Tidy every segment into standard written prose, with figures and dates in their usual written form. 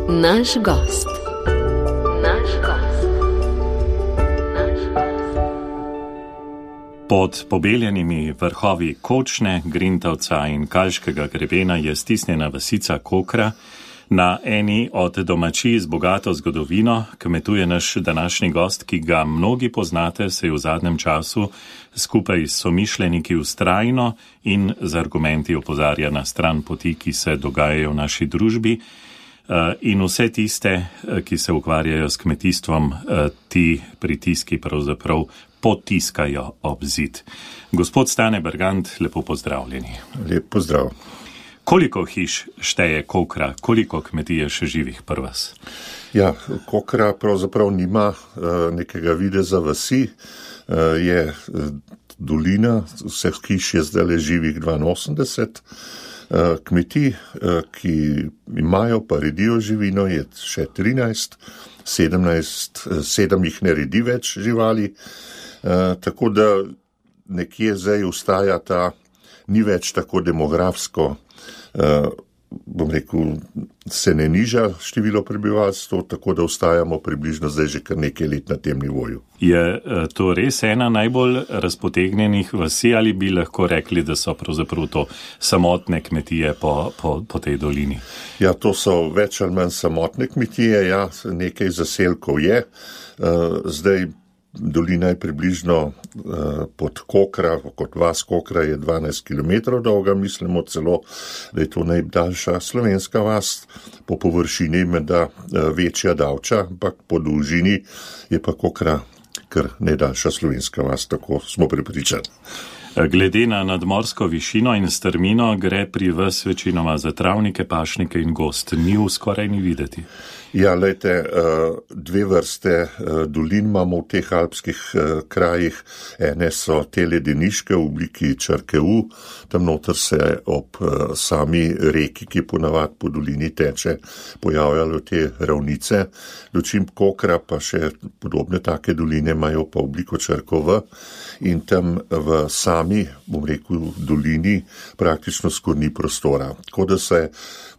Naš gost. Pod pobeljenimi vrhovi Kočne, Grintavca in Kalškega grebena je stisnjena vasica Kokra. Na eni od domačij z bogato zgodovino kmetuje naš današnji gost, ki ga mnogi poznate, se je v zadnjem času skupaj s somišljeniki vztrajno in z argumenti opozarja na stran poti, ki se dogajajo v naši družbi. In vse tiste, ki se ukvarjajo s kmetijstvom, ti pritiski pravzaprav potiskajo ob zid. Gospod Stane Bergant, lepo pozdravljeni. Lep pozdrav. Koliko hiš šteje Kokra, koliko kmetije še živih pri vas? Ja, Kokra pravzaprav nima nekega videza vasi, je dolina, vseh hiš je zdaj živih 82, kmetij, ki imajo pa redijo živino, je še 13, 7 jih ne redi več živali, tako da nekje zdaj ustaja ta, ni več tako demografsko, bom rekel, se ne niža število prebivalstva, tako da ostajamo približno zdaj že kar nekaj let na tem nivoju. Je to res ena najbolj razpotegnjenih vasi ali bi lahko rekli, da so pravzaprav to samotne kmetije po tej dolini? Ja, to so več ali manj samotne kmetije, ja, nekaj zaselkov je, zdaj dolina je približno pod Kokra, kot vas Kokra je 12 km dolga, mislimo celo, da je to najdaljša slovenska vas, po površini menda večja Davča, ampak po dolžini je pa Kokra kar najdaljša slovenska vas, tako smo prepričani. Glede na nadmorsko višino in strmino gre pri vas večinoma za travnike, pašnike in gost. Njiv skoraj ni videti. Ja, lejte, dve vrste dolin imamo v teh alpskih krajih. Ene so te ledeniške v obliki črke U, tam noter se ob sami reki, ki ponavadi po dolini teče, pojavljajo te ravnice. Dočim Kokra pa še podobne take doline imajo pa obliko črko V in tam v sami, bom rekel, dolini praktično skoraj ni prostora. Tako da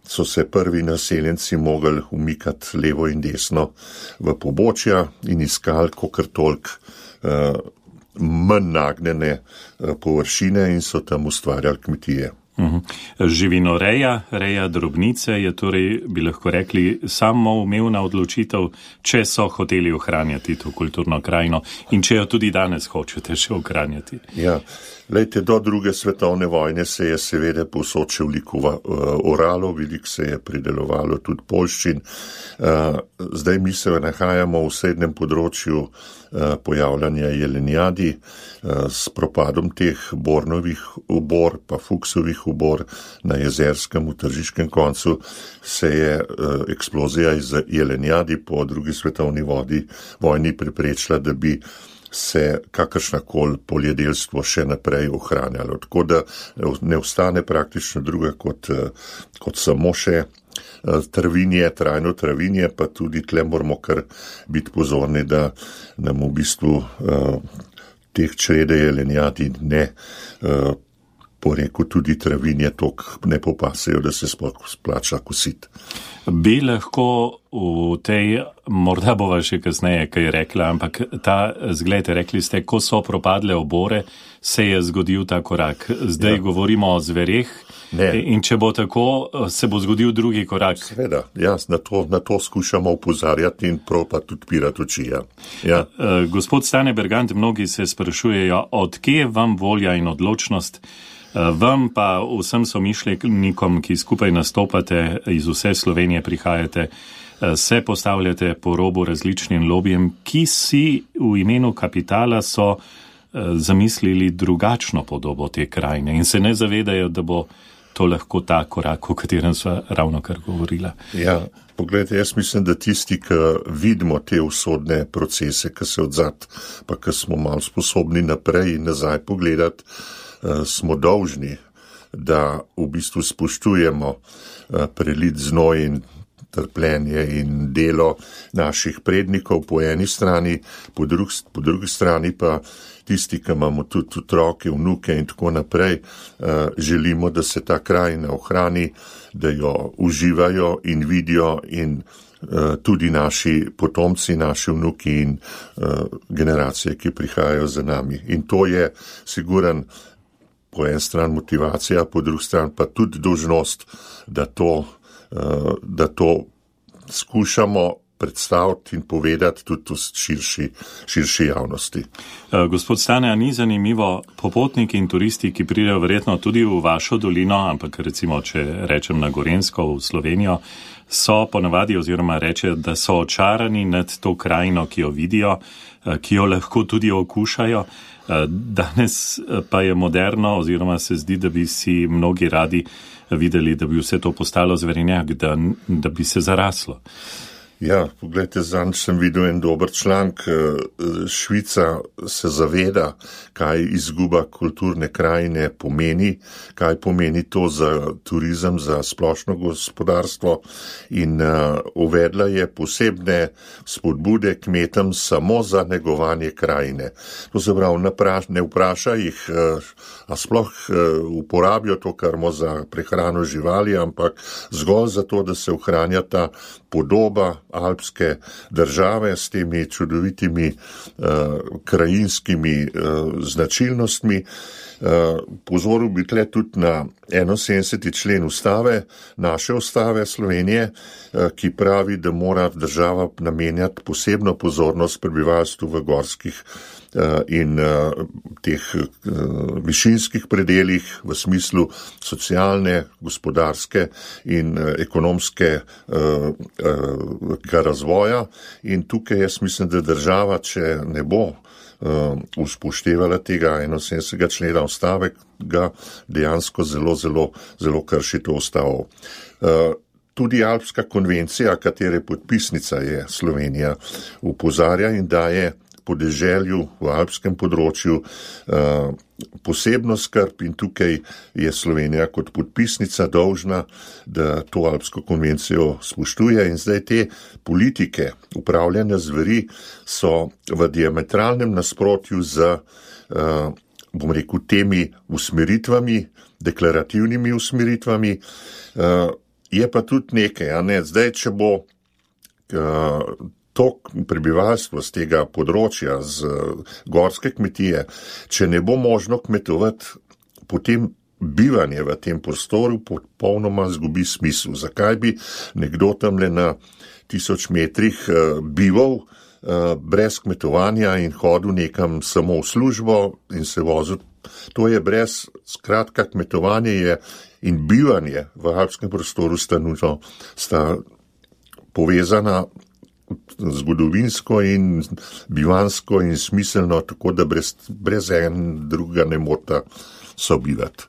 so se prvi naseljenci mogli umikati levo in desno v pobočja in iskali kakor toliko manj nagnjene površine in so tam ustvarjali kmetije. Živinoreja, reja drobnice je torej, bi lahko rekli, samoumevna odločitev, če so hoteli ohranjati to kulturno krajino in če jo tudi danes hočete še ohranjati. Ja, lejte, do druge svetovne vojne se je seveda povsod še veliko oralo, veliko se je pridelovalo tudi poljščin. Zdaj mi se nahajamo v srednjem področju pojavljanja jelenjadi, s propadom teh bornovih obor, pa fuksovih obor na Jezerskem v Tržiškem koncu se je eksplozija iz jelenjadi po drugi svetovni vojni preprečila, da bi se kakršnakoli poljedelstvo še naprej ohranjalo. Tako da ne ostane praktično druga kot samo še travinje, trajno travinje, pa tudi tle moramo kar biti pozorni, da nam v bistvu teh črede jelenjadi ne porekel tudi travinje toliko ne popasejo, da se splača kositi. Bi lahko v tej, morda bova še kasneje kaj rekla, ampak zglejte, rekli ste, ko so propadle obore, se je zgodil ta korak. Zdaj govorimo o zvereh. Ne. In če bo tako, se bo zgodil drugi korak. Seveda, ja, na to skušamo upozarjati in prav pa tudi odpirati oči. Ja. Gospod Stane Bergant, mnogi se sprašujejo, od kje vam volja in odločnost, vam pa vsem somišljenikom, ki skupaj nastopate iz vse Slovenije prihajate, se postavljate po robu različnim lobijem, ki si v imenu kapitala so zamislili drugačno podobo te krajine in se ne zavedajo, da bo to lahko ta korak, o katerem sva ravno kar govorila. Ja, pogledajte, jaz mislim, da tisti, ki vidimo te usodne procese, ki se odzad, pa ki smo malo sposobni naprej in nazaj pogledati, smo dolžni, da v bistvu spoštujemo prelit znoj in trpljenje in delo naših prednikov po eni strani, po drugi strani pa tisti, ki imamo tudi otroke, vnuke in tako naprej, želimo, da se ta krajina ohrani, da jo uživajo in vidijo in tudi naši potomci, naši vnuki in generacije, ki prihajajo za nami. In to je siguran po en stran motivacija, po drugi stran pa tudi dolžnost, da to skušamo predstaviti in povedati tudi v širši javnosti. Gospod Stane, a ni zanimivo, popotniki in turisti, ki pridejo verjetno tudi v vašo dolino, ampak recimo, če rečem na Gorenjsko, v Slovenijo, so ponavadi oziroma rečejo, da so očarani nad to krajino, ki jo vidijo, ki jo lahko tudi okušajo. Danes pa je moderno oziroma se zdi, da bi si mnogi radi videli, da bi vse to postalo zverenjak, da bi se zaraslo. Ja, pogledajte, zanj sem videl en dober članek. Švica se zaveda, kaj izguba kulturne krajine pomeni, kaj pomeni to za turizem, za splošno gospodarstvo in uvedla je posebne spodbude kmetom samo za negovanje krajine. To se pravi, ne vpraša jih, a sploh uporabijo to karmo za prehrano živali, ampak zgolj zato, da se ohranja ta podoba alpske države s temi čudovitimi krajinskimi značilnostmi. Pozoril bi tle tudi na 71. člen ustave, naše ustave Slovenije, ki pravi, da mora država namenjati posebno pozornost prebivalstvu v gorskih in teh višinskih predeljih v smislu socialne, gospodarske in ekonomske razvoja. In tukaj jaz mislim, da država, če ne bo uspoštevala tega 71. člena ustave, ga dejansko zelo krši to ustavo. Tudi Alpska konvencija, katere podpisnica je Slovenija, opozarja in daje podeželju v alpskem področju posebno skrb in tukaj je Slovenija kot podpisnica dolžna, da to Alpsko konvencijo spoštuje in zdaj te politike upravljanja zveri so v diametralnem nasprotju z, bom rekel, temi usmeritvami, deklarativnimi usmeritvami. Je pa tudi nekaj, a ne, zdaj, če bo to prebivalstvo z tega področja, z gorske kmetije, če ne bo možno kmetovati, potem bivanje v tem prostoru popolnoma izgubi smisel. Zakaj bi nekdo tamle na 1000 metrih bival brez kmetovanja in hodil nekam samo v službo in se vozil? To je brez, skratka, kmetovanje je in bivanje v alpskem prostoru sta povezana zgodovinsko in bivansko in smiselno, tako da brez en drugega ne morata sobivati.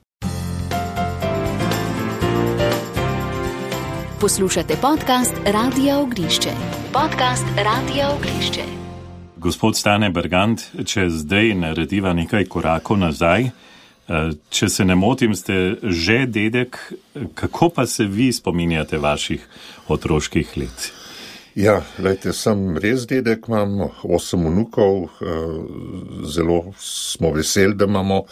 Poslušate podcast Radia Ognišče. Gospod Stane Bergant, če zdaj narediva nekaj korakov nazaj, če se ne motim, ste že dedek, kako pa se vi spominjate vaših otroških let? Ja, lejte, sem res dedek, imam 8 vnukov, zelo smo veseli, da imamo,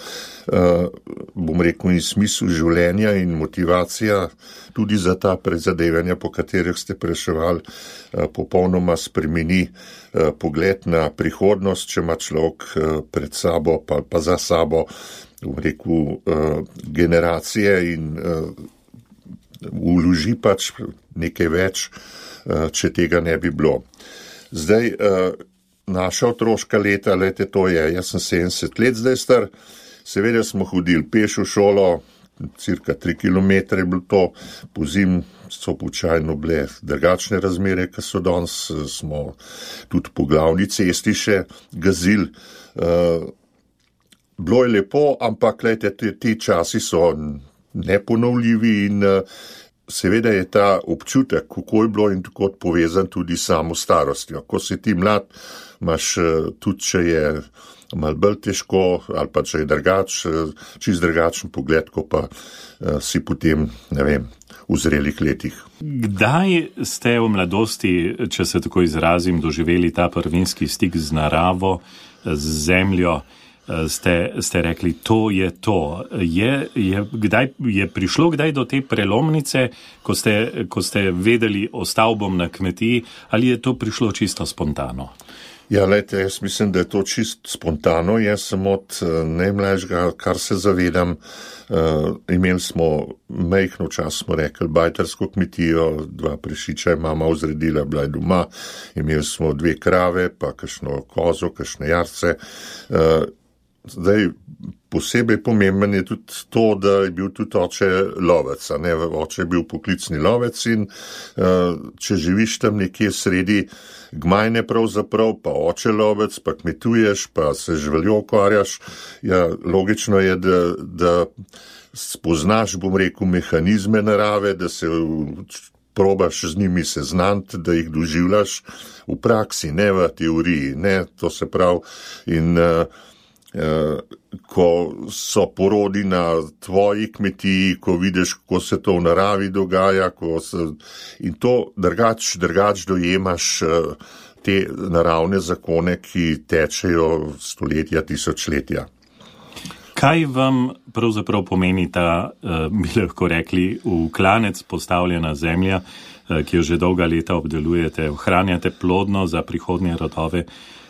bom rekel, in smisel življenja in motivacija tudi za ta prizadevanja, po katerih ste preševali, popolnoma spremeni pogled na prihodnost, če ima človek pred sabo pa za sabo, bom rekel, generacije in vloži pač nekaj več, če tega ne bi bilo. Zdaj, naša otroška leta, lete to je, jaz sem 70 let zdaj star, seveda smo hodili peš v šolo, cirka 3 kilometre je bilo to, pozim so počajno bile drugačne razmere, ki so danes, smo tudi po glavni cesti še gazili. Bilo je lepo, ampak lete, ti časi so neponovljivi in seveda je ta občutek, kako je bilo in tako povezan tudi s samo starostjo. Ko si ti mlad, imaš tudi, če je malo bolj težko, ali pa če je čist drugačen pogled, ko pa si potem, v zrelih letih. Kdaj ste v mladosti, če se tako izrazim, doživeli ta prvinski stik z naravo, z zemljo, ste rekli, to je to. Je prišlo kdaj do te prelomnice, ko ste vedeli o stavbom na kmetiji, ali je to prišlo čisto spontano? Ja, lejte, jaz mislim, da je to čisto spontano. Jaz sem od najmlajšega, kar se zavedam, imeli smo majhno čas, smo rekli, bajtersko kmetijo, 2 prešiča je mama vzredila, bila je doma, imeli smo 2 krave, pa kakšno kozo, kakšne jarce. Zdaj, posebej pomemben je tudi to, da je bil tudi oče lovec, oče je bil poklicni lovec in če živiš tam nekje sredi Gmajne pravzaprav, pa oče lovec, pa kmetuješ, pa se živaljo ukvarjaš, logično je, da spoznaš, mehanizme narave, da se probaš z njimi seznaniti, da jih doživljaš v praksi, ne v teoriji, to se pravi in ko so porodi na tvoji kmetiji, ko vidiš, kako se to v naravi dogaja, in to drugač dojemaš te naravne zakone, ki tečejo stoletja, tisočletja. Kaj vam pravzaprav pomeni ta, bi lahko rekli, v klanec postavljena zemlja, ki jo že dolga leta obdelujete, ohranjate plodno za prihodnje rodove?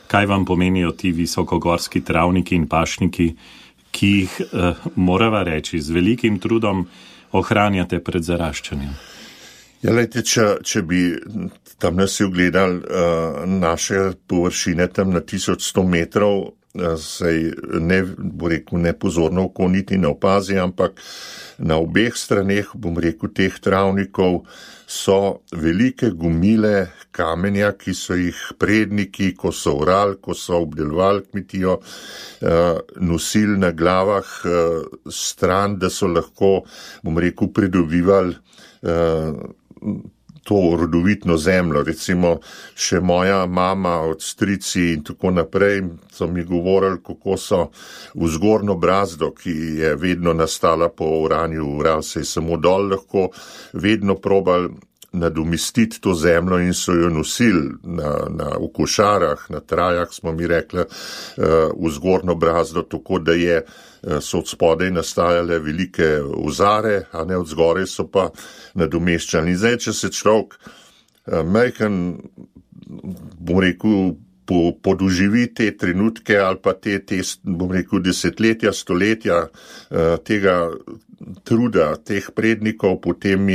Kaj vam pomenijo ti visokogorski travniki in pašniki, ki jih, morava reči, z velikim trudom ohranjate pred zaraščanjem? Ja, lejte, če bi tam nas ugledali naše površine tam na 1100 metrov, sej nepozorno oko niti ne opazi, ampak na obeh straneh, teh travnikov so velike gomile kamenja, ki so jih predniki, ko so orali, ko so obdelovali kmetijo, nosili na glavah stran, da so lahko, pridobivali to rodovitno zemljo. Recimo še moja mama, od strici in tako naprej so mi govorili, kako so v zgornjo brazdo, ki je vedno nastala po oranju, se je samo dol lahko, vedno probali nadomestiti to zemljo in so jo nosili v košarah, na trajah, smo mi rekli, v zgornjo brazdo, tako da so od spodaj nastajale velike ozare, a ne od zgoraj so pa nadomeščali. In zdaj, če se človek majhen, podoživi te trenutke ali pa te desetletja, stoletja tega truda, teh prednikov, potem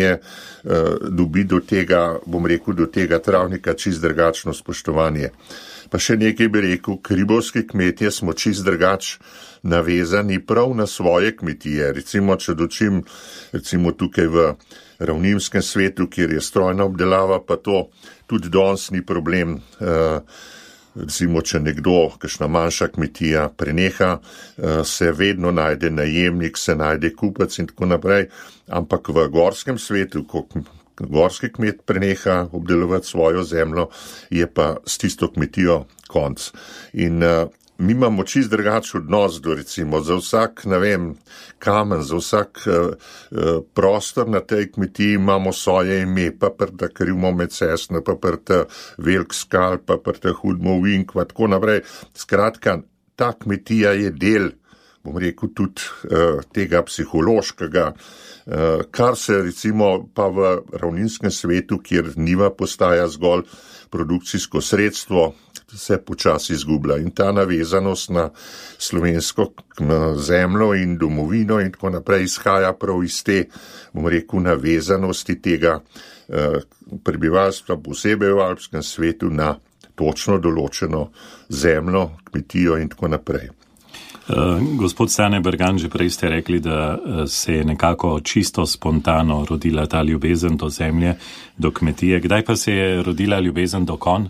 dobi do tega, do tega travnika čist drugačno spoštovanje. Pa še nekaj bi rekel, hribovski kmetje smo čist drugač navezani prav na svoje kmetije. Recimo, če dočim, tukaj v ravninskem svetu, kjer je strojna obdelava, pa to tudi danes ni problem. Recimo, če nekdo, kakšna manjša kmetija preneha, se vedno najde najemnik, se najde kupec in tako naprej, ampak v gorskem svetu, ko gorski kmet preneha obdelovati svojo zemljo, je pa s tisto kmetijo konc. In mi imamo čist drugačen odnos do, recimo, za vsak, kamen, za vsak prostor na tej kmetiji imamo svoje ime, pa prta krivmo med cestno, pa prta velik skal, pa prta hudmo vink, pa tako naprej. Skratka, ta kmetija je del, tudi tega psihološkega, kar se recimo pa v ravninskem svetu, kjer njiva postaja zgolj produkcijsko sredstvo, se počasi izgublja. In ta navezanost na slovensko zemljo in domovino in tako naprej izhaja prav iz te, navezanosti tega prebivalstva, posebej v alpskem svetu, na točno določeno zemljo, kmetijo in tako naprej. Gospod Stane Bergan, že prej ste rekli, da se je nekako čisto spontano rodila ta ljubezen do zemlje, do kmetije. Kdaj pa se je rodila ljubezen do konj?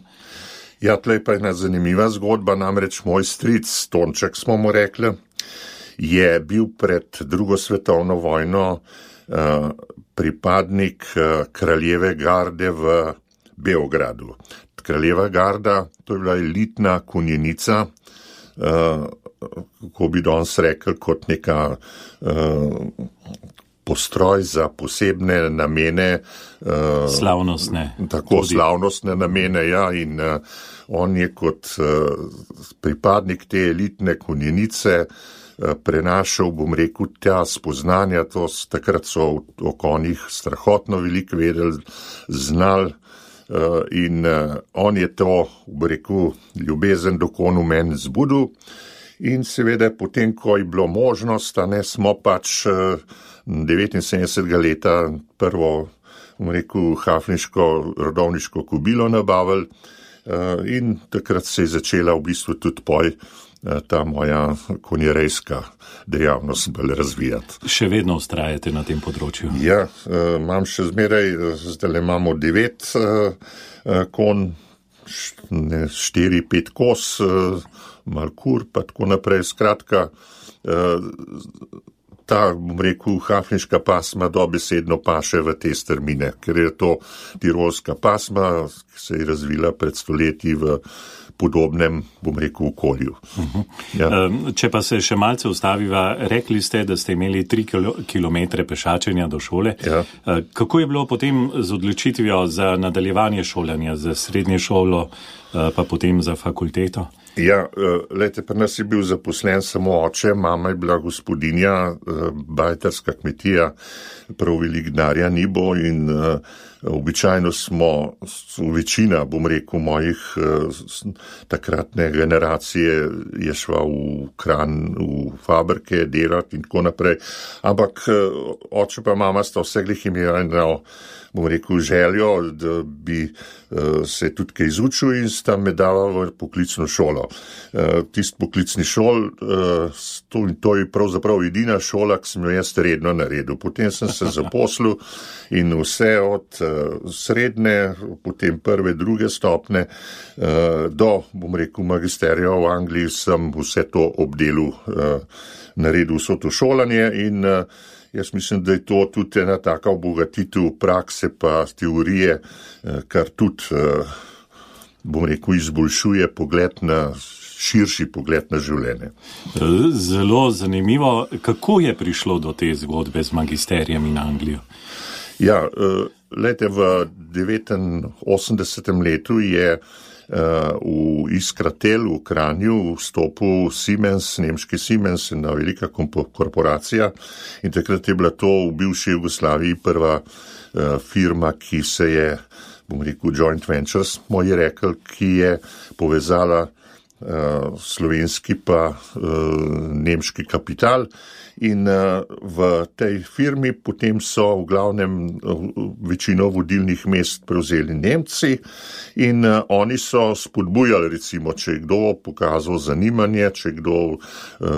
Ja, tlej pa je ena zanimiva zgodba, namreč moj stric, Tonček smo mu rekli, je bil pred drugo svetovno vojno pripadnik kraljeve garde v Beogradu. Kraljeva garda, to je bila elitna konjenica, kako bi danes rekel, kot neka postroj za posebne namene. Slavnostne. Tako, tudi slavnostne namene, ja, in on je kot pripadnik te elitne konjenice prenašal, bom rekel, ta spoznanja, takrat so o konjih strahotno veliko vedeli, znali, in on je to, bom rekel, ljubezen do konj v meni zbudil. In seveda potem, ko je bilo možnost, smo pač 79. leta prvo, bom rekel, hafniško rodovniško kobilo nabavili, in takrat se je začela v bistvu tudi ta moja konjerejska dejavnost bolj razvijati. Še vedno ustrajate na tem področju? Ja, imam še zmeraj, zdaj imamo 9 konj, 4-5 kos, malkur, pa tako naprej. Skratka, ta, bom rekel, hafniška pasma dobesedno paše v te strmine, ker je to tirolska pasma, ki se je razvila pred stoletji v podobnem, bom rekel, okolju. Ja. Če pa se še malce ustaviva, rekli ste, da ste imeli 3 kilometre pešačenja do šole. Ja. Kako je bilo potem z odločitvijo za nadaljevanje šolanja, za srednje šolo, pa potem za fakulteto? Ja, lejte, pri nas je bil zaposlen samo oče, mama je bila gospodinja, bajterska kmetija, prav velik denarja ni bo, in običajno smo, večina, bom rekel, mojih takratne generacije je šla v Kranj, v fabrike delati in tako naprej, ampak oče pa mama sta vseglih imela eno, bom rekel, željo, da bi se tudi kaj izučil, in sta me dala v poklicno šolo. Tist poklicni šol, to je pravzaprav edina šola, ki sem jo jaz redno naredil. Potem sem se zaposlil in vse od srednje, potem prve, druge stopne, do, bom rekel, magisterija v Angliji, sem vse to obdelal, naredil vso to šolanje, in jaz mislim, da je to tudi ena taka obogatitev prakse pa teorije, kar tudi, bom rekel, izboljšuje širši pogled na življenje. Zelo zanimivo. Kako je prišlo do te zgodbe z magisterijem in Anglijo? Ja, lejte, v 89. letu je v Iskratel v Kranju vstopil Siemens, nemški Siemens, ena velika korporacija, in takrat je bila to v bivši Jugoslaviji prva firma, ki se je, bom rekel, joint ventures, smo ji rekli, ki je povezala slovenski pa nemški kapital, in v tej firmi potem so v glavnem večino vodilnih mest prevzeli Nemci, in oni so spodbujali, recimo, če je kdo pokazal zanimanje, če je kdo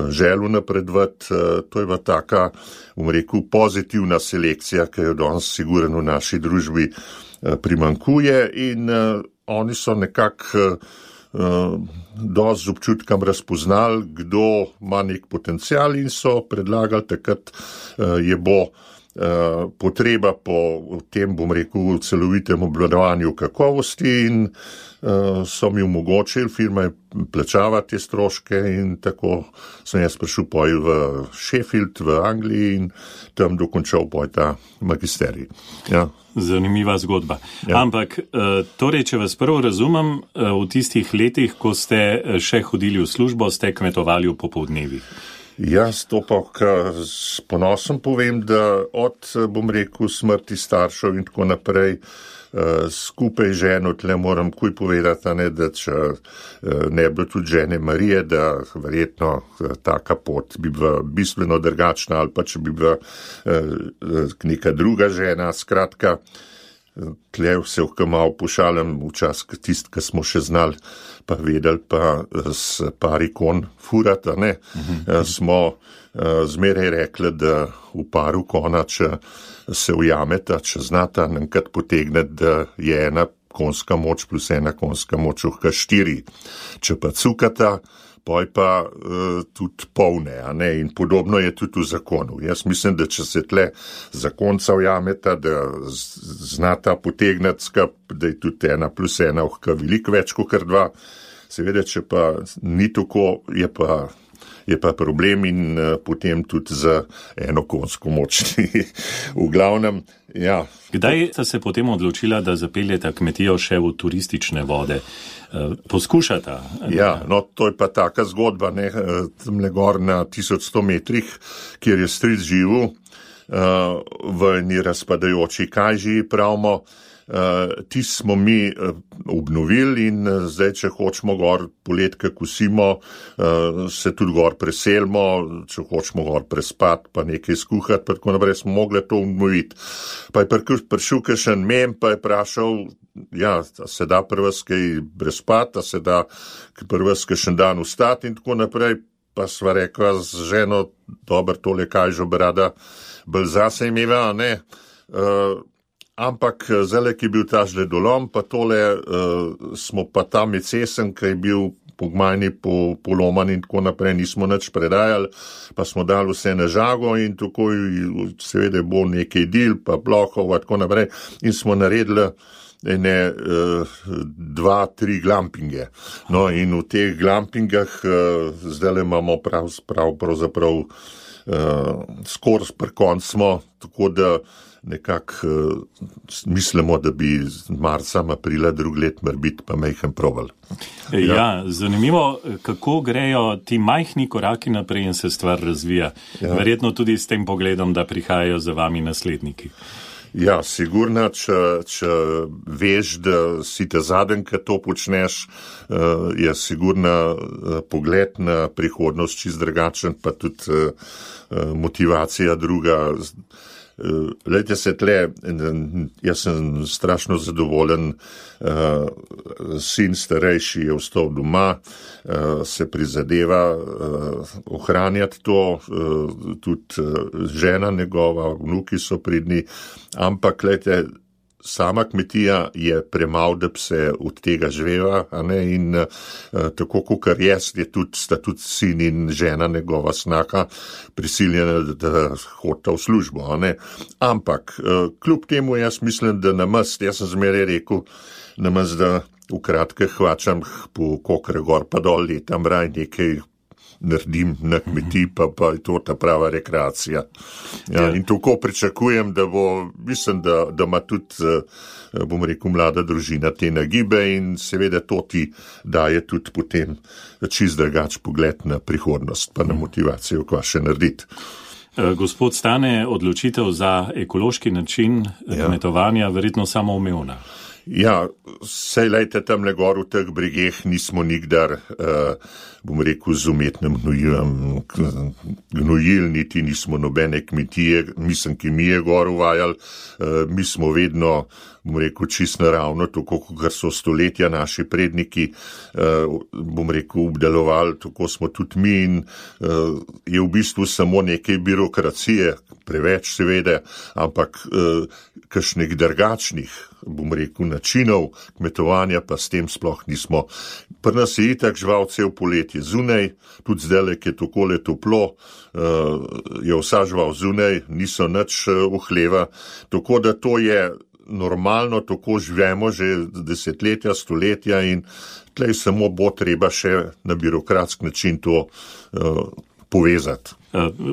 želel napredovati, to je bila taka, bom rekel, pozitivna selekcija, ki jo danes sigurno v naši družbi primanjkuje, in oni so nekako dosti z občutkom razpoznali, kdo ima nek potencial, in so predlagali, takrat je bo potreba po tem, bom rekel, celovitem obvladovanju kakovosti, in so mi omogočili, firma je plačala te stroške, in tako sem jaz prišel v Sheffield v Angliji in tam dokončal ta magisterij. Ja. Zanimiva zgodba. Ja. Ampak, torej, če vas prvo razumem, v tistih letih, ko ste še hodili v službo, ste kmetovali v popoldnevih. Jaz to pa s ponosom povem, da od, bom rekel, smrti staršev in tako naprej, skupaj ženo, tle moram kuj povedati, da če ne bi bilo tudi žene Marije, da verjetno taka pot bi bila bistveno drugačna, ali pa če bi bila neka druga žena, skratka, tle se malo pošalim včas, tist, ki smo še znali, pa vedeli pa s par ikon furata, ne, smo zmeraj rekli, da v paru kona, če se ujameta, če znata enkrat potegneti, da je ena konska moč plus ena konska moč ohka 4. Če pa cukata, poj pa tudi polne, a ne, in podobno je tudi v zakonu. Jaz mislim, da če se tle zakonca ujameta, da znata potegneti skup, da je tudi ena plus ena ohka veliko več kot 2. Seveda, če pa ni tako, je pa problem in potem tudi za eno konjsko moč. V glavnem, ja. Kdaj sta se potem odločila, da zapeljeta kmetijo še v turistične vode? Poskušata? Ja, no, to je pa taka zgodba, ne, tamle gor na 1100 metrih, kjer je stric živel, v eni razpadajoči kajži, pravimo, ti smo mi obnovili in zdaj, če hočemo gor poletke kosimo, se tudi gor preselimo, če hočemo gor prespati, pa nekaj skuhati, pa tako naprej smo mogli to obnoviti. Pa je prišel kakšen mem, pa je vprašal, ja, se da prvs kaj prespati, a se da prvs kakšen dan vstati in tako naprej, pa sva rekla z ženo, dober, tole kajžo bi rada bolj zase imela, ne, ampak zdaj, ki je bil ta žledolom, pa tole smo pa tam med cesen, ki je bil pogmajni, poloman in tako naprej, nismo nič predajali, pa smo dali vse na žago in tako seveda bo nekaj dil, pa blokov, tako naprej, in smo naredili ene 2-3 glampinge. No, in v teh glampingah zdaj imamo pravzaprav skoraj pri koncu smo, tako da nekako mislimo, da bi marca, aprila drug let morbiti pa majhen probal. Ja, zanimivo, kako grejo ti majhni koraki naprej in se stvar razvija. Ja. Verjetno tudi s tem pogledom, da prihajajo za vami nasledniki. Ja, sigurno, če veš, da si te zadnji, ki to počneš, je sigurno pogled na prihodnost čist drugačen, pa tudi motivacija druga. Lejte se tle, jaz sem strašno zadovoljen, sin starejši je ostal doma, se prizadeva ohranjati to, tudi žena njegova, vnuki so pridni, ampak lejte, sama kmetija je premalo, da bi se od tega živela, a ne, in tako kakor jaz, sta tudi sin in žena njegova snaha prisiljena, da hodita v službo, a ne. Ampak, kljub temu jaz mislim, da namest, jaz sem zmeraj rekel, namest, da v kratke hvačam po kokre gor pa dol letam, raj nekaj naredim na kmetiji, pa je to ta prava rekreacija. Ja, in tako pričakujem, da bo, mislim, da ima tudi, bom rekel, mlada družina te nagibe in seveda to ti daje tudi potem čist drugač pogled na prihodnost, pa na motivacijo, kva še narediti. Gospod Stane, odločitev za ekološki način kmetovanja verjetno samoumevna. Ja, sej lejte tamle gor v teh bregeh nismo nikdar, bom rekel, z umetnim gnojil, niti nismo nobene kmetije, mislim, ki mi je gor uvajali, mi smo vedno, bom rekel, čist naravno, tako kot so stoletja naši predniki, bom rekel, obdelovali, tako smo tudi mi in je v bistvu samo nekaj birokracije, preveč seveda, ampak kakšnih drugačnih, bom rekel, načinov kmetovanja pa s tem sploh nismo. Pri nas je itak žival cel poletje zunaj, tudi zdaj, ki je takole toplo, je vsa žival zunaj, niso nič v hleva, tako da to je normalno, tako živimo že desetletja, stoletja in tlej samo bo treba še na birokratski način to povezati.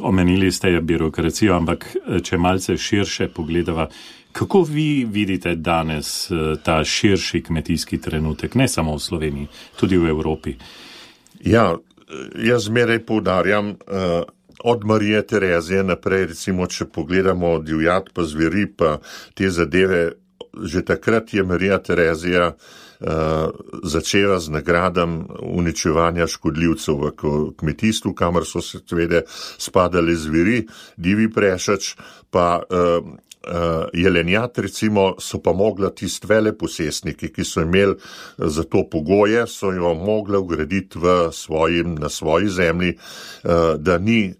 Omenili ste birokracijo, ampak če malce širše pogledava, kako vi vidite danes ta širši kmetijski trenutek, ne samo v Sloveniji, tudi v Evropi? Ja, jaz zmeraj poudarjam, od Marije Terezije naprej, recimo, če pogledamo divjad pa zveri pa te zadeve, že takrat je Marija Terezija začela z nagradam uničevanja škodljivcev v kmetijstvu, kamor so se seveda spadali zveri, divji prešač, pa jelenjat recimo so pa mogla tisti veleposestniki, ki so imeli za to pogoje, so jo mogla ugraditi na svoji zemlji, da ni,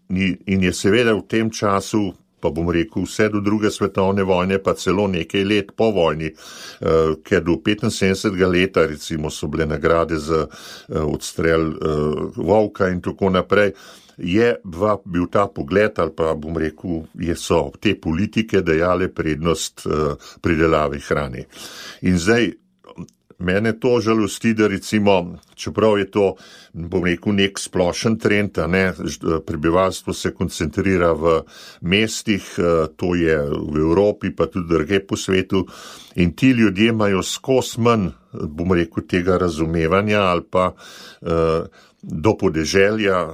in je seveda v tem času, pa bom rekel, vse do druge svetovne vojne, pa celo nekaj let po vojni, ker do 75. leta recimo so bile nagrade za odstrel volka in tako naprej, je bil ta pogled, ali pa bom rekel, so te politike dajale prednost pridelavi hrane. In zdaj, mene to žalosti, da recimo, čeprav je to, bom rekel, nek splošen trend, prebivalstvo se koncentrira v mestih, to je v Evropi, pa tudi drugje po svetu, in ti ljudje imajo skozi manj, bom rekel, tega razumevanja ali pa do podeželja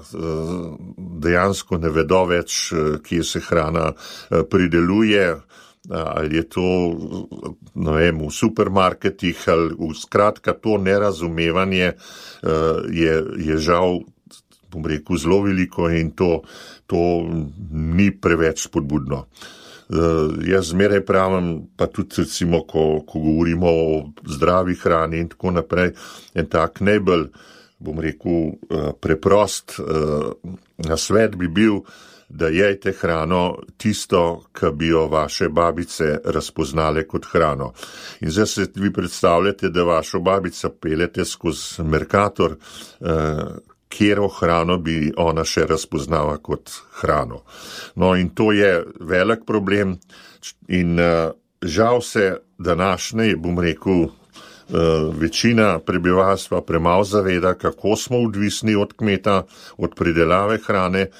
dejansko ne vedo več, kje se hrana prideluje, ali je to, ne vem, v supermarketih, ali skratka to nerazumevanje je žal, bom rekel, zelo veliko in to ni preveč spodbudno. Jaz zmeraj pravim, pa tudi recimo, ko govorimo o zdravi hrani in tako naprej, en tak najbolj, bom rekel, preprost nasvet bi bil, da jejte hrano tisto, ki bi jo vaše babice razpoznale kot hrano. In zdaj se vi predstavljate, da vašo babico peljete skozi Mercator, kjero hrano bi ona še razpoznala kot hrano. No in to je velik problem in žal se današnje, bom rekel, večina prebivalstva premalo zaveda, kako smo odvisni od kmeta, od pridelave hrane.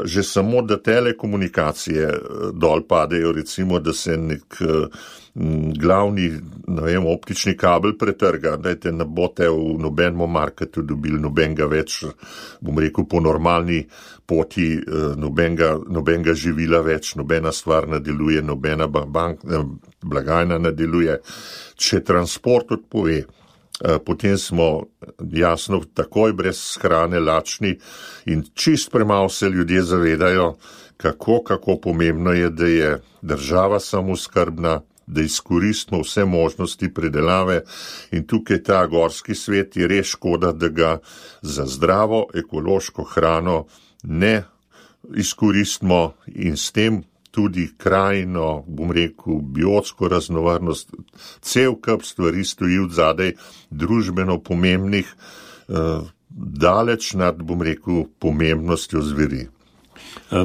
Že samo, da telekomunikacije dol padejo, recimo, da se nek glavni, ne vem, optični kabel pretrga, dajte ne boste v nobenem marketu dobili nobenega več, bom rekel, po normalni poti, nobenega živila več, nobena stvar ne deluje, nobena blagajna ne deluje. Če transport odpove, potem smo jasno takoj brez hrane lačni in čist premalo se ljudje zavedajo, kako pomembno je, da je država samooskrbna, da izkoristimo vse možnosti predelave in tukaj ta gorski svet je res škoda, da ga za zdravo ekološko hrano ne izkoristimo in s tem tudi krajino, bom rekel, biotsko raznovrstnost, cel kup stvari stoji odzadaj družbeno pomembnih, daleč nad, bom rekel, pomembnostjo zveri.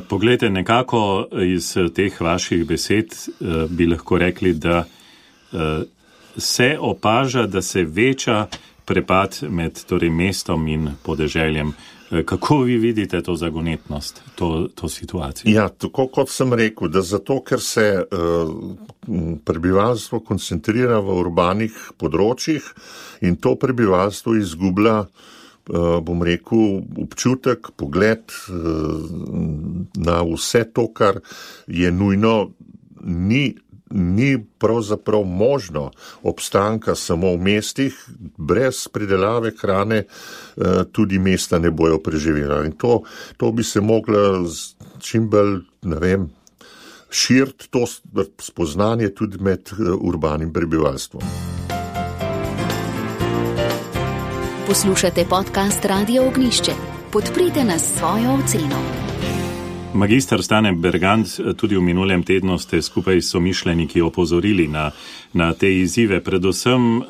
Poglejte, nekako iz teh vaših besed bi lahko rekli, da se opaža, da se veča prepad med torej mestom in podeželjem. Kako vi vidite to zagonetnost, to situacijo? Ja, tako kot sem rekel, da zato, ker se prebivalstvo koncentrira v urbanih področjih in to prebivalstvo izgublja, bom rekel, občutek, pogled na vse to, kar je nujno, ni pravzaprav možno obstanka samo v mestih, brez pridelave hrane tudi mesta ne bojo preživela. In to bi se mogla čim bolj, ne vem, širiti to spoznanje tudi med urbanim prebivalstvom. Poslušate podcast Radio Ognjišče. Podprite nas s svojo oceno. Magister Stane Bergant, tudi v minulem tednu ste skupaj s somišljeniki opozorili na te izzive, predvsem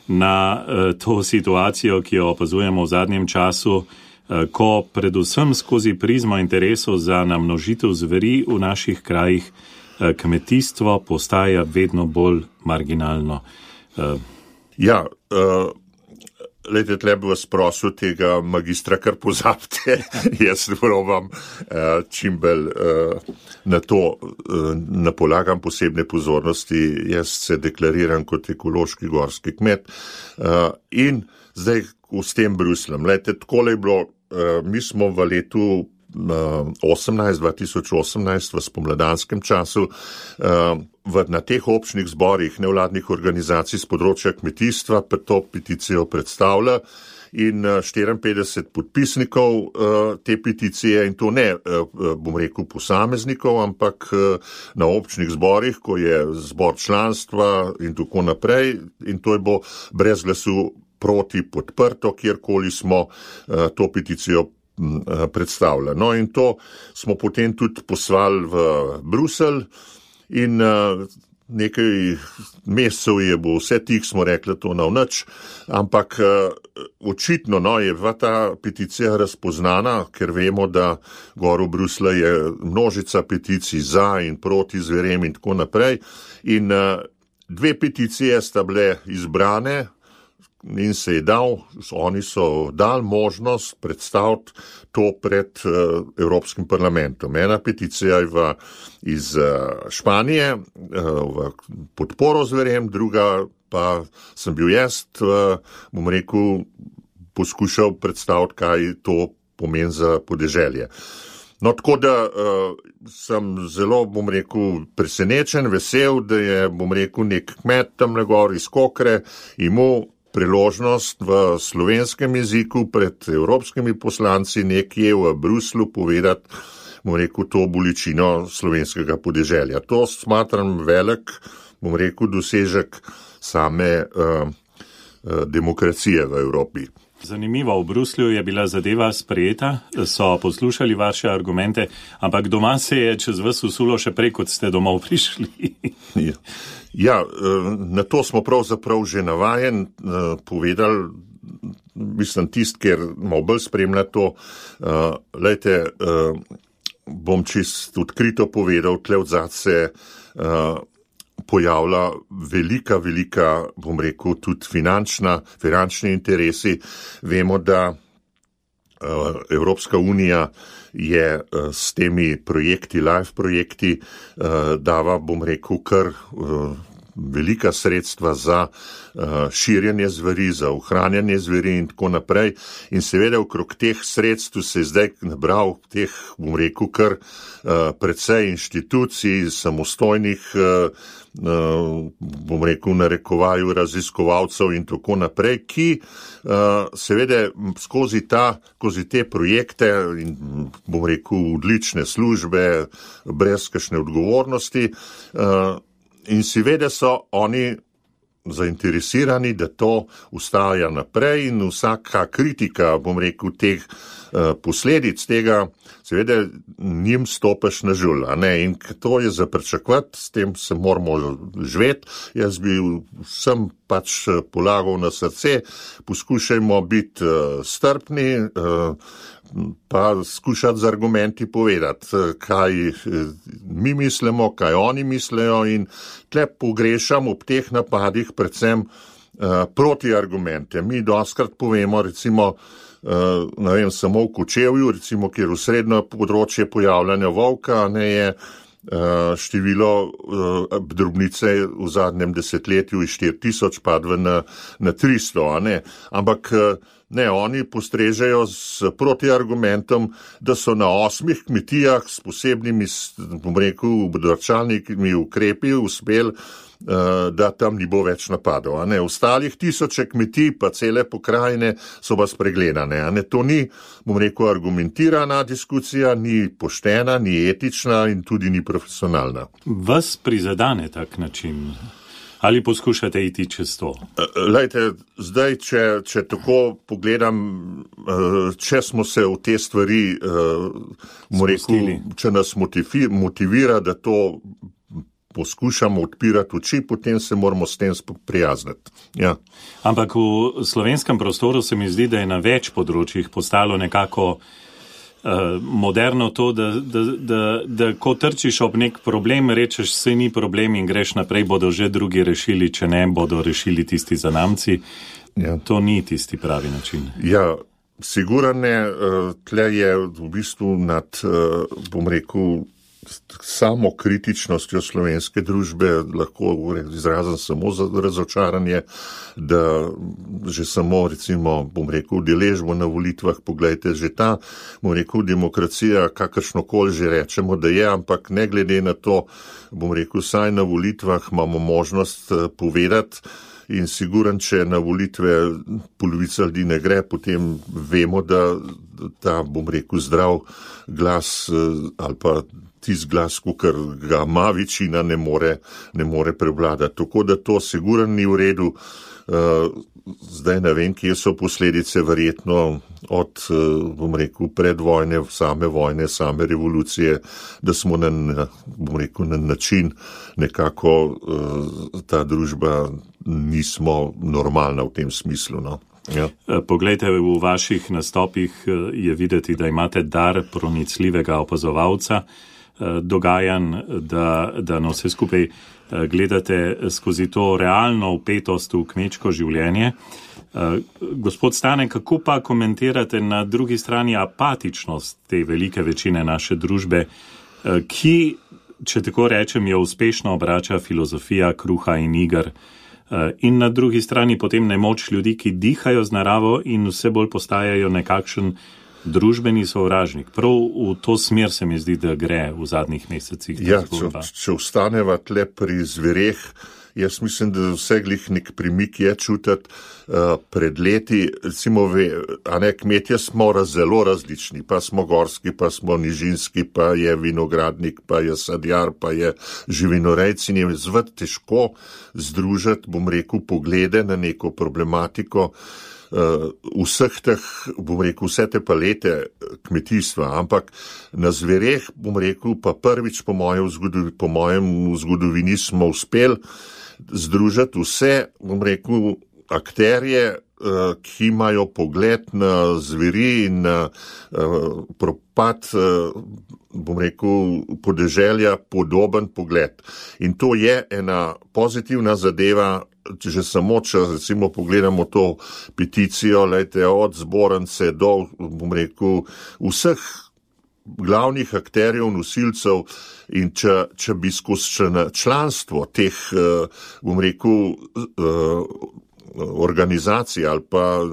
na to situacijo, ki jo opazujemo v zadnjem času, ko predvsem skozi prizmo interesov za namnožitev zveri v naših krajih kmetijstvo postaja vedno bolj marginalno. Ja, Lejte, tle bi vas prosil tega magistra, kar pozabite, jaz probam čim bolj na to napolagam posebne pozornosti, jaz se deklariram kot ekološki gorski kmet in zdaj s tem Brusljem. Lejte, takole je bilo, mi smo v letu 2018 v spomladanskem času na teh občnih zborih nevladnih organizacij z področja kmetijstva pa to peticijo predstavlja in 54 podpisnikov te peticije in to ne, bom rekel, posameznikov, ampak na občnih zborih, ko je zbor članstva in tako naprej in to je bo brez glasu proti podprto, kjerkoli smo to peticijo predstavlja. No in to smo potem tudi poslali v Bruselj in nekaj mesecev je bo vse tih, smo rekli, to na nič, ampak očitno je ta peticija razpoznana, ker vemo, da gor v Bruslju je množica peticij za in proti zverem in tako naprej in 2 peticije sta bile izbrane in oni so dali možnost predstaviti to pred Evropskim parlamentom. Ena peticija je iz Španije v podporo zverjem, druga pa sem bil jaz, poskušal predstaviti, kaj to pomeni za podeželje. No, tako da sem zelo, presenečen, vesel, da je, nek kmet tamle gor iz Kokre imel priložnost v slovenskem jeziku pred evropskimi poslanci nekje v Bruslu povedati, to bolečino slovenskega podeželja. To smatram velik, dosežek same demokracije v Evropi. Zanimivo, v Bruslju je bila zadeva sprejeta, so poslušali vaše argumente, ampak doma se je čez vas usulo še prej, kot ste domov prišli. Ja, na to smo pravzaprav že navajen povedali, tisti, ker malo bolj spremlja to, bom čisto odkrito povedal, tle odzad se pojavlja velika, tudi finančni interesi. Vemo, da Evropska unija je s temi projekti, live projekti, dava, kar velika sredstva za širjenje zveri, za ohranjanje zveri in tako naprej. In seveda okrog teh sredstv se je zdaj nabral teh, kar precej inštitucij, samostojnih, narekovaju raziskovalcev in tako naprej, ki seveda skozi te projekte in odlične službe, brez kakšne odgovornosti, in seveda so oni zainteresirani, da to ustaja naprej in vsaka kritika, teh posledic tega, seveda njim stopaš na žul, in to je za pričakovati, s tem se moramo živeti. Jaz bi vsem polagal na srce, poskušajmo biti strpni, pa skušati z argumenti povedati, kaj mi mislimo, kaj oni mislijo, in tle pogrešam ob teh napadih predvsem protiargumente. Mi dostkrat povemo, recimo, samo v Kočevju, recimo, kjer v srednjo področje pojavljanja volka, je število drobnice v zadnjem desetletju iz 4000 padlo na 300, ampak oni postrežejo s protiargumentom, da so na 8 kmetijah s posebnimi, obdržalnimi ukrepi uspeli, da tam ni bo več napadov. Ostalih 1000 kmetij, pa cele pokrajine so pa spregledane. To ni, argumentirana diskusija, ni poštena, ni etična in tudi ni profesionalna. Vas prizadene tak način? Ali poskušate iti čez to? Zdaj, če tako pogledam, če smo se v te stvari, če nas motivira, da to poskušamo odpirati oči, potem se moramo s tem prijazniti. Ja. Ampak v slovenskem prostoru se mi zdi, da je na več področjih postalo nekako moderno to, da ko trčiš ob nek problem, rečeš, saj ni problem in greš naprej, bodo že drugi rešili, če ne, bodo rešili tisti zanamci. Ja. To ni tisti pravi način. Ja, sigurno tle je v bistvu nad, samo kritičnostjo slovenske družbe lahko izrazim samo za razočaranje, da že samo, recimo, udeležbo na volitvah, poglejte, že ta, demokracija, kakršnokoli že rečemo, da je, ampak ne glede na to, vsaj na volitvah imamo možnost povedati, in siguran, če na volitve polovica ljudi ne gre, potem vemo, da ta, zdrav glas ali pa tisti glas, ker ga ima večina, ne more prevladati. Tako da to siguran ni v redu. Zdaj ne vem, kje so posledice, verjetno od, predvojne, same vojne, same revolucije, da smo na način nekako ta družba nismo normalna v tem smislu. No? Ja. Poglejte, v vaših nastopih je videti, da imate dar pronicljivega opazovalca. dogajanj, da na vse skupaj gledate skozi to realno vpetost v kmečko življenje. Gospod Stane, kako pa komentirate na drugi strani apatičnost te velike večine naše družbe, ki, če tako rečem, jo uspešno obrača filozofija kruha in iger, in na drugi strani potem nemoč ljudi, ki dihajo z naravo in vse bolj postajajo nekakšen družbeni sovražnik. Prav v to smer se mi zdi, da gre v zadnjih mesecih. Ja, če ostaneva tle pri zvereh, jaz mislim, da vseglih nek premik je čutiti pred leti. Recimo, kmetje smo zelo različni, pa smo gorski, pa smo nižinski, pa je vinogradnik, pa je sadjar, pa je živinorejc in je zvet težko združiti, bom rekel, poglede na neko problematiko vseh teh, bom rekel, vse te palete kmetijstva, ampak na zvereh, bom rekel, pa prvič po mojem v zgodovini smo uspeli združiti vse, bom rekel, akterje, ki imajo pogled na zveri in na propad, bom rekel, podeželja podoben pogled. In to je ena pozitivna zadeva, že samo, če recimo pogledamo to peticijo, od zbornice do, bom rekel, vseh glavnih akterjev, nosilcev, in če bi skozi članstvo teh, bom rekel, organizacij ali pa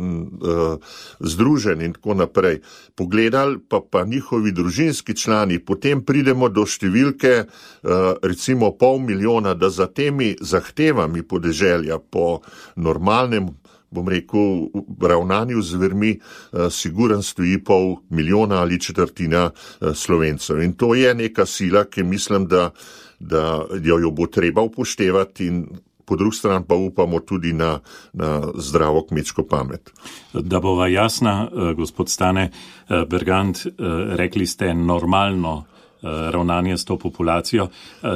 združenj in tako naprej, pogledali pa njihovi družinski člani, potem pridemo do številke recimo 500 000, da za temi zahtevami podeželja po normalnem, bom rekel, ravnanju z zvermi siguren stoji 500 000 ali četrtina Slovencev. In to je neka sila, ki mislim, da jo bo treba upoštevati in po drugi strani pa upamo tudi na zdravo kmečko pamet. Da bova jasna, gospod Stane Bergant, rekli ste normalno ravnanje s to populacijo.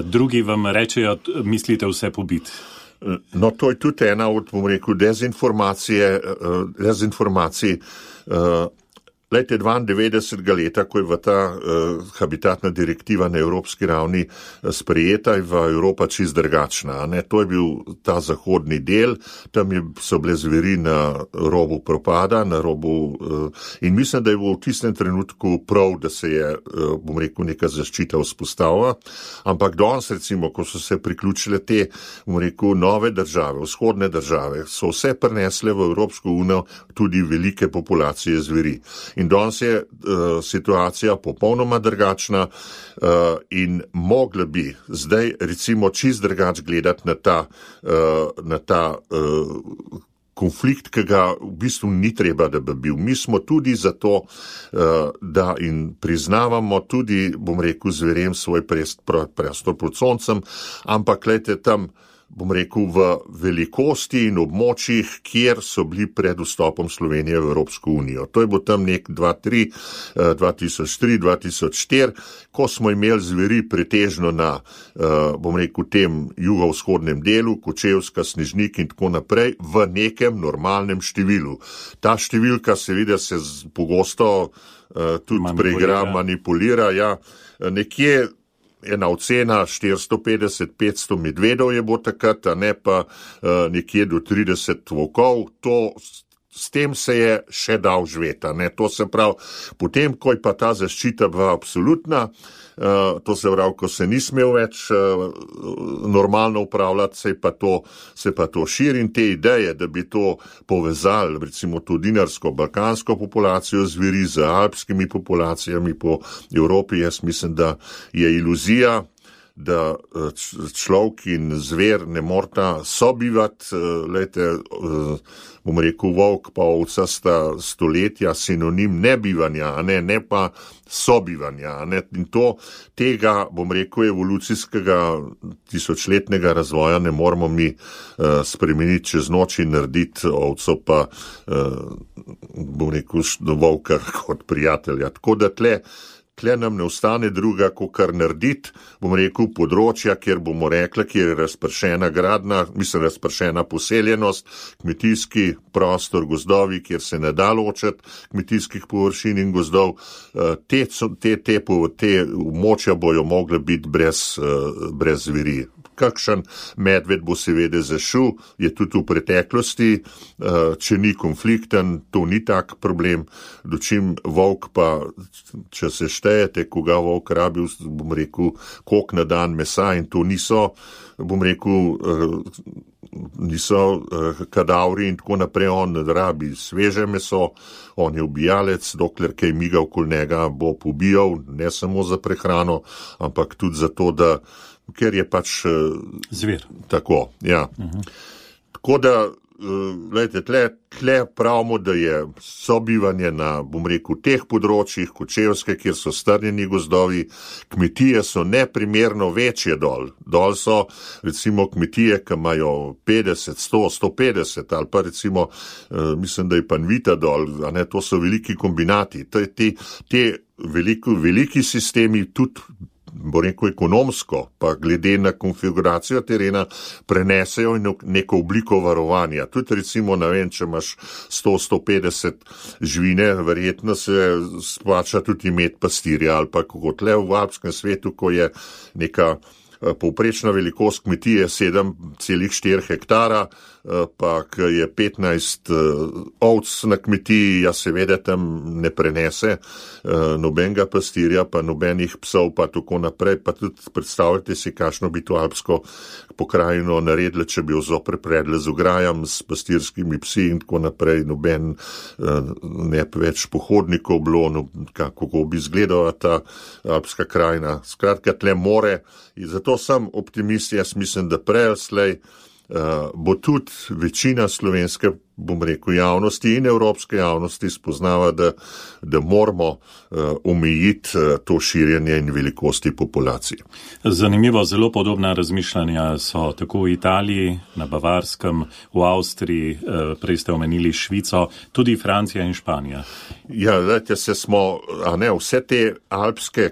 Drugi vam rečejo, mislite vse pobiti. No, to je tudi ena od, bom rekel, dezinformacij. Lejte, 92. leta, ko je v ta habitatna direktiva na evropski ravni sprejeta, je v Evropa čist drugačna. To je bil ta zahodni del, tam so bile zveri na robu propada, na robu, in mislim, da je bilo v tistem trenutku prav, da se je, bom rekel, neka zaščita vzpostavila, ampak danes, recimo, ko so se priključile te, bom rekel, nove države, vzhodne države, so vse prinesle v Evropsko unijo tudi velike populacije zveri. In danes je situacija popolnoma drugačna in mogla bi zdaj recimo čist drugač gledati na ta konflikt, ki ga v bistvu ni treba, da bi bil. Mi smo tudi zato, da in priznavamo tudi, bom rekel, zverem svoj prostor pod soncem, ampak gledajte tam, bom rekel, v velikosti in območjih, kjer so bili pred vstopom Slovenije v Evropsko unijo. To je bilo tam nek 2003, 2004, ko smo imeli zveri pretežno na, bom rekel, tem jugovzhodnem delu, Kočevska, Snežnik in tako naprej, v nekem normalnem številu. Ta številka seveda se pogosto tudi preigra, manipulira, ja, nekje ena ocena 450-500 medvedov je bo takrat, a ne pa nekje do 30 volkov. S tem se je še dal živeti. To se pravi, potem, ko je pa ta zaščita bila absolutna, to se pravi, ko se ni smel več normalno upravljati, se pa to širi in te ideje, da bi to povezali, recimo to dinarsko-balkansko populacijo zveri z alpskimi populacijami po Evropi, jaz mislim, da je iluzija, da človek in zver ne morata sobivati, bom rekel, volk pa ovca sta stoletja sinonim nebivanja, ne pa sobivanja. In tega, bom rekel, evolucijskega tisočletnega razvoja ne moramo mi spremeniti čez noč in narediti ovco pa, bom rekel, volka kot prijatelja. Tako da tle nam ne ostane druga, kot kar narediti, bom rekel, področja, kjer bomo rekli, kjer je razpršena gradna, razpršena poseljenost, kmetijski prostor, gozdovi, kjer se ne da ločiti kmetijskih površin in gozdov, te območja bojo mogle biti brez zveri. Kakšen medved bo seveda zašel, je tudi v preteklosti, če ni konflikten, to ni tak problem, dočim volk pa, če se štejete, koga volk rabi, bom rekel, koliko na dan mesa in to niso, bom rekel, niso kadavri in tako naprej, on rabi sveže meso, on je ubijalec, dokler kaj miga okoli njega bo pobijal, ne samo za prehrano, ampak tudi zato, da ker je pač zver. Tako, ja. Tako da, gledajte, tle pravimo, da je sobivanje na, bom rekel, teh področjih, Kočevske, kjer so strnjeni gozdovi, kmetije so neprimerno večje dol. Dol so, recimo, kmetije, ki imajo 50, 100, 150, ali pa recimo, mislim, da je Panvita dol, a ne, to so veliki kombinati. Te veliki sistemi tudi, bo rekel, ekonomsko, pa glede na konfiguracijo terena, prenesejo neko obliko varovanja. Tudi recimo, ne vem, če imaš 100-150 živine, verjetno se splača tudi imeti pastirja, ali pa kot le v alpskem svetu, ko je neka povprečna velikost kmetije 7,4 hektara, pa je 15 ovc na kmetiji, ja seveda tam ne prenese nobenega pastirja, pa nobenih psov, pa tako naprej, pa tudi predstavljate si, kakšno bi to alpsko pokrajino naredili, če bi jo zopet predle z ograjam, s pastirskimi psi in tako naprej, noben ne več pohodnikov bilo, kako bi izgledala ta alpska krajina. Skratka, tle more, in zato sem optimist, jaz mislim, da prej ali slej bo tudi večina slovenske, bom rekel, javnosti in evropske javnosti spoznava, da moramo omejiti to širjenje in velikosti populacije. Zanimivo, zelo podobna razmišljanja so tako v Italiji, na Bavarskem, v Avstriji, prej ste omenili Švico, tudi Francija in Španija. Ja, dajte se smo, vse te alpske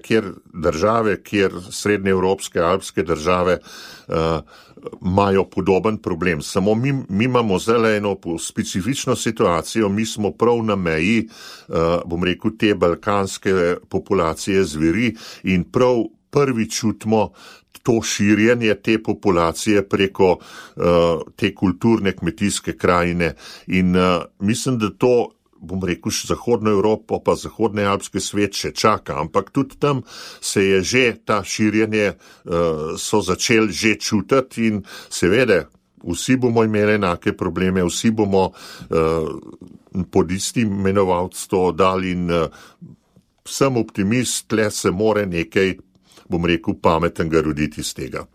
države, kjer srednjeevropske alpske države imajo podoben problem. Samo mi imamo zelo eno specifično situacijo, mi smo prav na meji, bom rekel, te balkanske populacije zveri in prav prvi čutimo to širjenje te populacije preko te kulturne kmetijske krajine in mislim, da to, bom rekel, Zahodno Evropo pa zahodni alpski svet še čaka, ampak tudi tam se je že ta širjenje, so začeli že čutiti in seveda vsi bomo imeli enake probleme, vsi bomo pod istim imenovalcem dali in sem optimist, tle se more nekaj, bom rekel, pametnega roditi iz tega.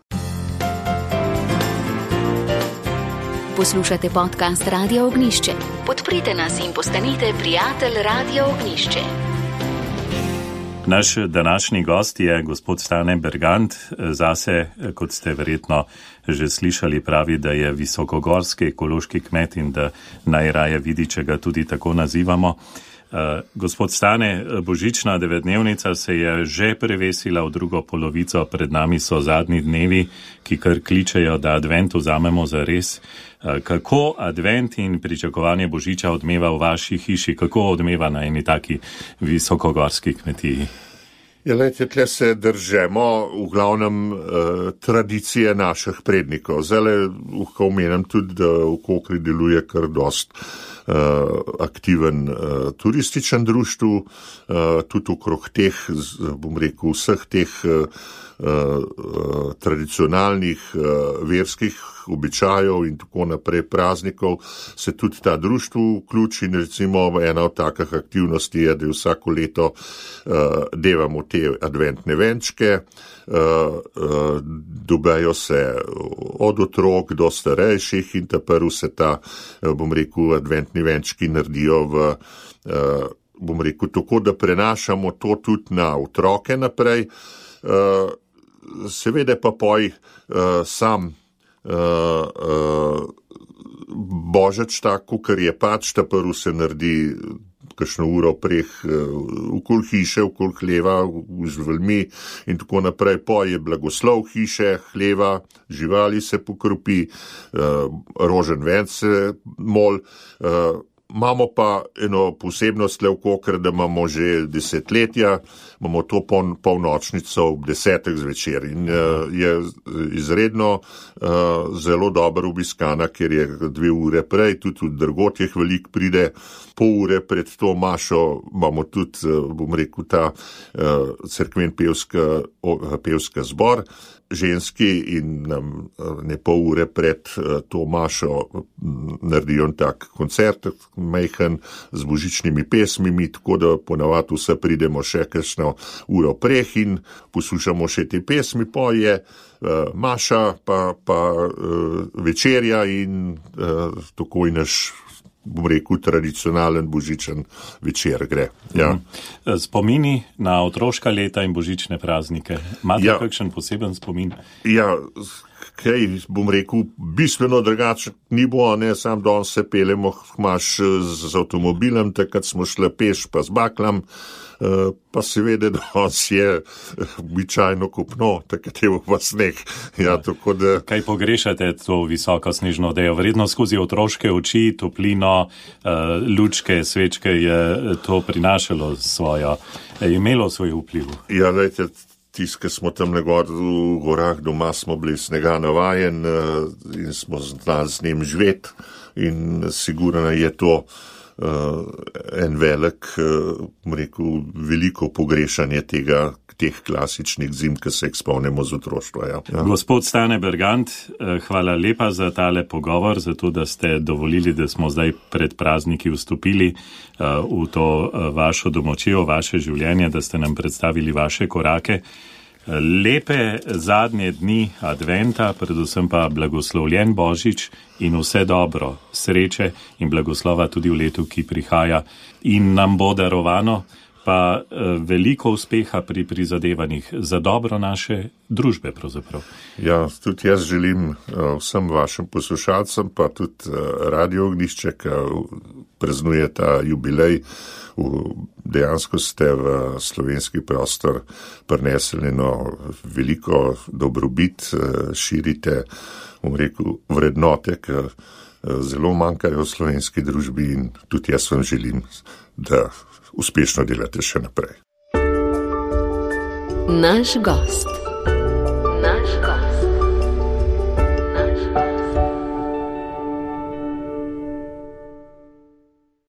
Poslušate podcast Radia Ognjišče. Podprite nas in postanite prijatelj Radia Ognjišče. Naš današnji gost je gospod Stane Bergant. Zase, kot ste verjetno že slišali, pravi, da je visokogorski ekološki kmet in da najraje vidi, če ga tudi tako nazivamo. Gospod Stane, božična 9-dnevnica se je že prevesila v drugo polovico, pred nami so zadnji dnevi, ki kar kličejo, da advent vzamemo za res. Kako advent in pričakovanje božiča odmeva v vaši hiši? Kako odmeva na eni taki visokogorski kmetiji? Ja, lejte, tle se držemo v glavnem tradicije naših prednikov. Zdaj lahko omenim tudi, da v Kokri deluje kar dost aktiven turističen društv, tudi okrog teh, bom rekel, vseh teh tradicionalnih verskih običajev in tako naprej praznikov se tudi ta društvo vključi in recimo ena od takih aktivnosti je, da vsako leto devamo te adventne venčke, dobejo se od otrok do starejših in prv se ta, bom rekel, adventni venčki naredijo v, bom rekel, tako da prenašamo to tudi na otroke naprej, seveda pa poj sam božič tako, ker je pač, ta prv se naredi kakšno uro preh okoli hiše, okoli hleva, v živalmi in tako naprej. Po je blagoslov hiše, hleva, živali se pokropi, rožen ven se mol. Imamo pa eno posebnost le v Kokre, da imamo že desetletja, imamo to polnočnico ob 10. zvečer in je izredno zelo dobro obiskana, ker je 2 ure prej, tudi v drugotjeh veliko pride, pol ure pred to mašo imamo tudi, bom rekel, ta cerkven pevska zbor ženski in nam ne pol ure pred to mašo naredijo tak koncert, majhen z božičnimi pesmimi, tako da ponavadi vse pridemo še kakšno uro preh in poslušamo še te pesmi, po je maša, pa večerja in tako je naš, bom rekel, tradicionalen božičen večer gre. Ja. Spomini na otroška leta in božične praznike. Imate kakšen poseben spomin? Ja, kaj bom rekel, bistveno drugače ni bo, ne, sam danes se peljemo z avtomobilem, takrat smo šli peš pa z baklam, pa seveda danes je običajno kopno, takrat je pa sneg. Ja, tako da... Kaj pogrešate to visoko snežno odejo? Verjetno skozi otroške oči, toplino, lučke, svečke je to prinašalo svojo, je imelo svoj vpliv? Ja, lejte, ki smo tam negor v gorah, doma smo bili snega navajen in smo znali z njim živeti in sigurno je to en velik, rekel, veliko pogrešanje teh klasičnih zim, ki se jih spomnimo z otroštva. Ja. Gospod Stane Bergant, hvala lepa za tale pogovor, za to, da ste dovolili, da smo zdaj pred prazniki vstopili v to vašo domočijo, vaše življenje, da ste nam predstavili vaše korake. Lepe zadnje dni adventa, predvsem pa blagoslovljen Božič in vse dobro, sreče in blagoslova tudi v letu, ki prihaja in nam bo darovano, pa veliko uspeha pri prizadevanjih za dobro naše družbe pravzaprav. Ja, tudi jaz želim vsem vašim poslušalcem, pa tudi Radio Ognjišče, ki praznuje ta jubilej, dejansko ste v slovenski prostor prinesli veliko dobrobit, širite, bom rekel, vrednote, ki zelo manjkajo v slovenski družbi in tudi jaz vam želim, da uspešno delate še naprej. Naš gost.